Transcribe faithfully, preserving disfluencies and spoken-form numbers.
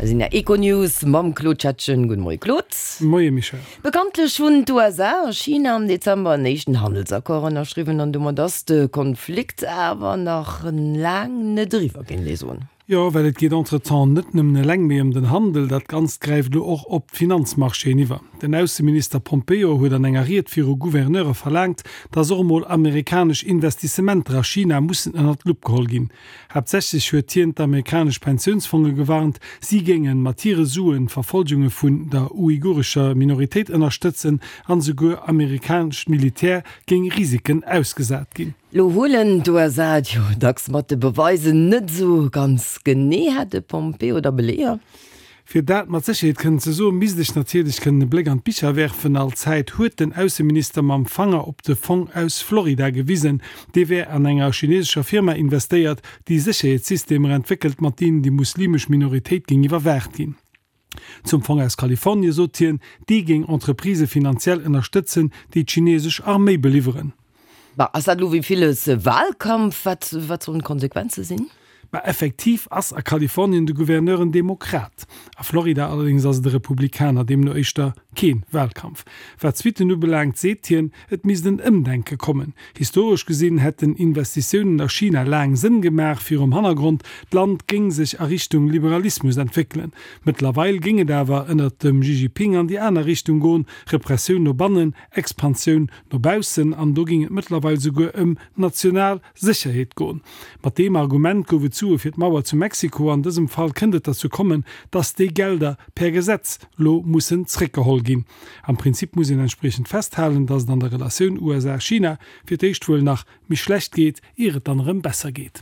Sinn der Econews mam Claude Schettgen. Gudde Moie Claude. Moie Michèle. Bekanntlech hunn d'USA a China am Dezember en éischten Handelsaccord ënnerschriwwen an domat ass de Konflikt awer nach laang net eriwwer, géing ee soen. Jo, well et geet entretemps net nëmmen eleng méi ëm den Handel, dat Ganzt gräift elo och op d'Finanzmarchéen iwwer. Den Ausseminister Pompeo huet an enger Ried viru Gouverneure verlaangt, datt och emol amerikanesch Investissementer a China mussen ënnert d'Lupp geholl ginn. Haaptsächlech huet hien d'amerikanesch Pensiounsfonge gewarnt, si géinge mat hire Suen d'Verfolgunge vun der uigurescher Minoritéit ënnerstëtzen an esouguer amerikanescht Militär géing Risiken ausgesat ginn. Lo huelen d'USA et jo dacks mat de Beweisen net esou ganz genee. Hat de Pompeo da Beleeër? Fir dat mat Sécherheet kënnen ze soen, misst ech natierlech kënnen e Bléck an d'Bicher werfen. All Zäit huet den Ausseminister mam Fanger op de Fong aus Florida gewisen. Dee wär an enger chinesescher Firma investéiert, déi Sécherheetssystemer entwéckelt, mat deenen déi muslimesch Minoritéit géing iwwerwaacht ginn. Zum Fong aus Kalifornie sot hien, dee géing Entreprisë finanziell ënnerstëtzen, déi d'chinesesch Arméi beliwweren. Bah, ass dat elo wéi villes Wahlkampf? Wat, wat sollen d'Konsequenze sinn? Bah, effektiv ass a Kalifornien de Gouverneur en Demokrat. A Florida allerdéngs ass et e Republikaner, deemno éischter kee Wahlkampf. Wat d'Suitten ubelaangt, seet hien, et misst en Ëmdenke kommen. Historesch gesinn hätten Investitiounen a China laang Sënn gemaach, virum Hannergrond, d'Land géing sech a Richtung Liberalismus entwéckelen. Mëttlerweil géing et awer ënnert dem Xi Jinping an déi aner Richtung goen, Repressioun no bannen, Expansioun no baussen, an do géing et mëttlerweil souguer ëm national Sécherheet goen. Mat deem Argument gouf et Sue fir d'Mauer zu Mexiko. An dësem Fall kënnt et derzou kommen, dass déi Gelder per Gesetz lo mussen zréckgeholl ginn. Am Prinzip muss een entspriechend festhalen, dass et an der Relatioun USA-China fir d'éischt wuel nach méi schlecht geet, ier et dann erëm besser geet.